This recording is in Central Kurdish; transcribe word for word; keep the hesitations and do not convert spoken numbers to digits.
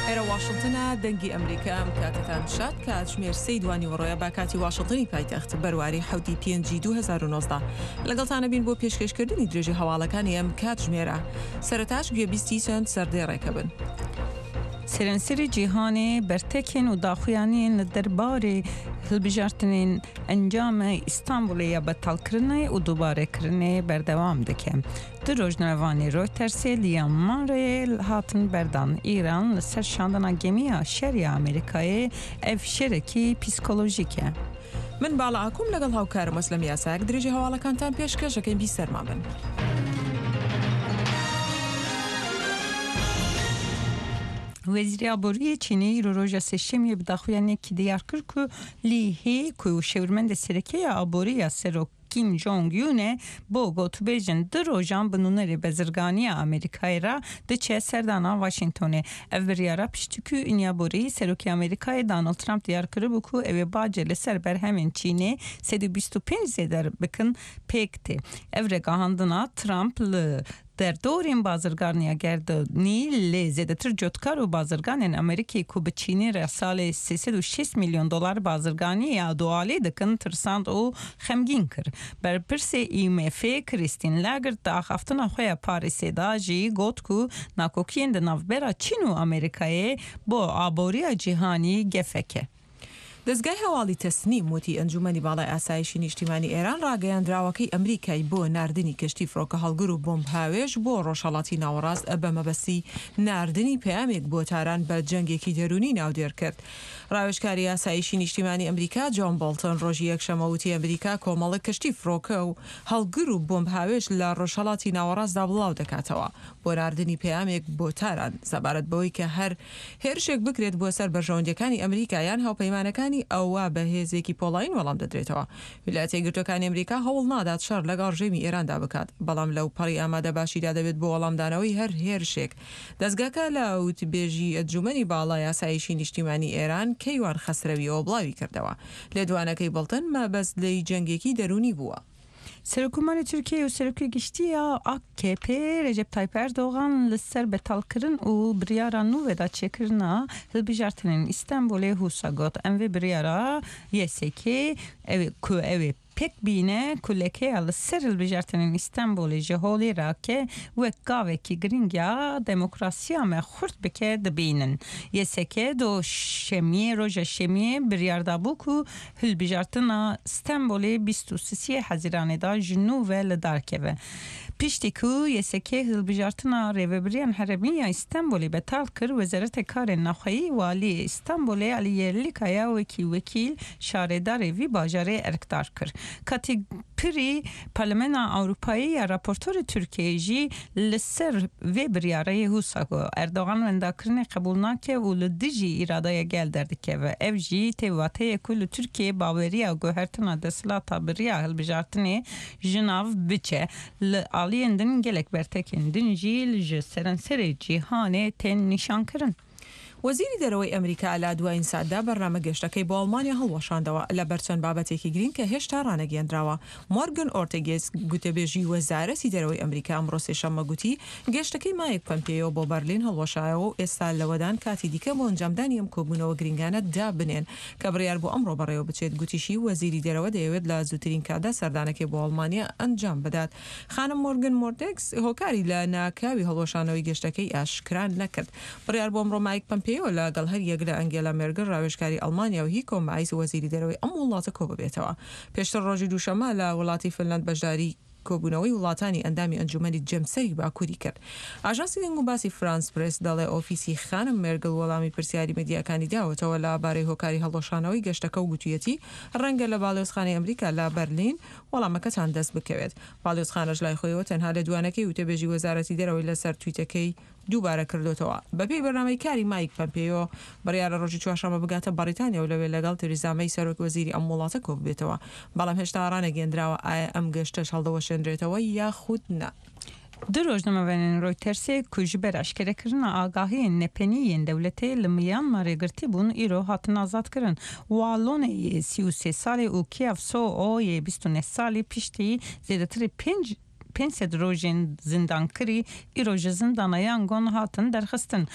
ئێرە واشنتنە، دەنگی ئەمریکا. ئەم کاتەتان شاد. کاتژمێر سێی دوانیوەڕۆیە با کاتی واشنتنی پایتەخت، بەرواری حەوتی پێنجی دوو هەزار و نۆزدە. لەگەڵتانە بین بۆ پێشکەشکردنی درێژی هەواڵەکانی ئەم کاتژمێرە. سەرەتاش گوێبیستی چەند سەردێڕێکە بن. Seranserê cîhanê bertekên û daxuyaniyên li derbarê hilbijartinên encama Îstanbulê ya betalkirinê û dubarekirinê berdewam dike. Du rojnamevanê Reutersê li Myanmarê hatin berdan. Îran li ser şandina gemiya şer ya Amerîkayê ev şerekî psîkolojîk e. من باڵا ئاکوم لەگەڵ هاوکارم ئەسلەم یاساک درێژی هەواڵەکانتان پێشکەشەکەین. بیسەرمان بن. Wezîrê Aboriyê Çînê îro roja sêşemiyê bi daxuyaniyekî diyar kir ku Li He ku şêwirmendê sereke ya aborî ya Serok Kim Jong Un e bo gotûbêjên du rojan bi nûnerê bezirganiya Amerîkayê re diçe serdana Washingtonê. Ev biryara piştî ku îniya borî Serokê Amerîkayê Donald Trump diyar kiribû ku ew ê bacê li ser berhemên Çînê sed û bîst û pênc zêde bikin pêk tê. Ev ragihandina Trump li derdorên bazirganiya gerdûnî lê zêdetir cotkar û bazirganên Amerîkê ku bi Çînê re salê sê sed û şêst milyon dolar bazirganiya dualî dikin tirsand û xemgîn kir. Berpirsê I M F Christine Lagarde di axaftina xwe ya Parîsê da jî got ku nakokiyên di navbera Çîn û Amerîkayê bo aboriya cîhanî gefek e. دەزگای هەواڵی تەسنیم وتی ئەنجومەنی باڵای ئاسایشی نیشتیمانی ئێران ڕاگەیاندراوەکەی ئەمریکای بۆ ناردنی کەشتی فڕۆکە هەڵگر و بۆمب هاوێژ بۆ ڕۆژهەڵاتی ناوەڕاست بە مەبەستی ناردنی پەیامێک بۆ تاران بە جەنگێکی دەروونی ناودێر کرد. ڕاوێژکاری ئاسایشی نیشتیمانی ئەمریکا جۆن بۆڵتن ڕۆژی یەکشەممە وتی ئەمریکا کۆمەڵێک کەشتی فڕۆکە و هەڵگر و بۆمب هاوێژ لە ڕۆژهەڵاتی ناوەڕاستدا بڵاو دەکاتەوە بۆ ناردنی پەیامێک بۆ تاران سەبارەت بەوەی کە هەر هێرشێک بکرێت بۆ سەر بەرژەوەندیەکانی ئەمریکا یان هاوپەیمانەکانی ئەوە بە هێزێکی پۆڵاین وەڵام دەدرێتەوە. ویلایەتە یەکگرتووەکانی ئەمریکا هەوڵ نادات شەڕ لەگەڵ ڕژێمی ئێراندا بکات، بەڵام لەو پەڕی ئامادە باشیدا دەبێت بۆ وەڵامدانەوەی هەر هێرشێک. دەزگاکە لە وتبێژی ئەنجومەنی باڵای ئاسایشی نیشتیمانی ئێران کەیوان خەسرەویەوە بڵاوی کردەوە لێدوانەکەی بڵتن مەبەست لێی جەنگێکی دەروونی بووە. Serokkomarê Tirkiyeyê û Serokê Giştî ya A K P Recep Tayyip Erdogan li ser betalkirin û biryara nû veda çêkirina hilbijartinên Îstanbulê wisa got: Em vê biryara Y S K ew ku ew ê pêk bîne ku lekeya li ser hilbijartinên Îstanbulê ji holê rake wek gavekî girîng ya demokrasiya me xurt bike dibînin. Y S K do şemiyê roja şemiyê biryar dabû ku hilbijartina Stenbolê bîst û sisiyê Hezîranê da ji nû ve li dar keve. Piştî ku Y S K hilbijartina rêveberiyan herêmî ya Îstanbulê betal kir, Wezareta Karên Navxweyî Waliyê Îstanbulê Ali Yerlikaya wekî wekîl şaredarê vî bajarê erkdar kir. Kati Piri Parlamena Ewropayê ya raportorê Tirkiyeyê jî li ser vê biryarê wisa got: Erdogan wendakirinê qebûl nake û li dijî îradeya gel derdikeve. Ev jî tê wateyê ku li Tirkiyeyê baweriya guhertina desthilata bi riya hilbijartinê ji nav biçe. Li aliyên din gelek bertekên din jî ji seranserê cîhanê tên nîşankirin. وەزیری دەرەوەی ئەمریکا لە دوایین ساتدا بەرنامە گەشتەکەی بۆ ئەڵمانیا هەڵوەشاندەوە لەبەر چەند بابەتێکی گرنگ کە هێشتا ڕانەگەیەندراوە. مۆرگن ئۆرتێگێس گوتەبێژی وەزارەتی دەرەوەی ئەمریکا ئەمڕۆ سێشەممە گوتی گەشتەکەی مایک پەمپێیۆ بۆ بەرلین هەڵوەشایەوە و ئێستا لەوەدان کاتی دیکە بۆ ئەنجامدانی ئەم کۆبوونەوە گرنگانە دابنێن کە بڕیار بۆ ئەمڕۆ بەڕێوە بچێت. گوتیشی وەزیری دەرەوە دەیەوێت لە زووترین کاتدا سەردانەکەی بۆ ئەڵمانیا ئەنجام بدات. خانم مۆرگن مۆرتێکس هۆکاری لە ناکاوی هەڵوەشانەوەی گەشتەکەی ئاشکرا نەکرد. بڕیار بۆ ئەمڕۆ مایک پەمپێیۆ لەگەڵ هەر یەک لە ئەنگێلا مێرگل ڕاوێژکاری ئەڵمانیا و هیکۆ مایس وەزیری دەرەوەی ئەم وڵاتە کۆ ببێتەوە. پێشتر ڕۆژی دووشەممە لە وڵاتی فنلند بەشداری کۆبوونەوەی وڵاتانی ئەندامی ئەنجومەنی جەمسەری باکووری کرد. ئاژانسی دەنگ و باسی فرانس پرێس دەڵێ ئۆفیسی خانم مێرگل وەڵامی پرسیاری میدیاکانی داوەتەوە لە بارەی هۆکاری هەڵوەشانەوەی گەشتەکە و گوتویەتی ڕەنگە لە باڵیۆزخانەی ئەمریکا لە بەرلین وەڵامەکەتان دەست بکەوێت. باڵیۆزخانەش لای خۆیەوە تەنها لە دوانەکەی وتەبێژی وەزارەتی دەرەوەی لەسەر تویتەکەی دووبارە کردوتەوە. بەپێی بەرنامەی کاری مایک پەمپێیۆ بڕیارە ڕۆژی چوارشەممە بگاتە بەریتانیا و لەوێ لەگەڵ تریزا مەی سەرۆک وەزیری ئەم وڵاتە کۆ ببێتەوە، بەڵام هێشتا ڕانەگەیەندراوە ئایا ئەم گەشتەش هەڵدەوەشێنرێتەوە یاخود نا. Du rojnamevanên Reutersê ku ji ber eşkerekirina agahiyên nepenî yên dewletê li Myanmarê girtî bûn îro hatin azadkirin. Wa Lone yê sî û sê salî û Kyaw Soe Oo yê bîst û neh salî piştî zêdetirî pênc pênc sed rojên zindankirî îro ji zindana Yangon hatin derxistin.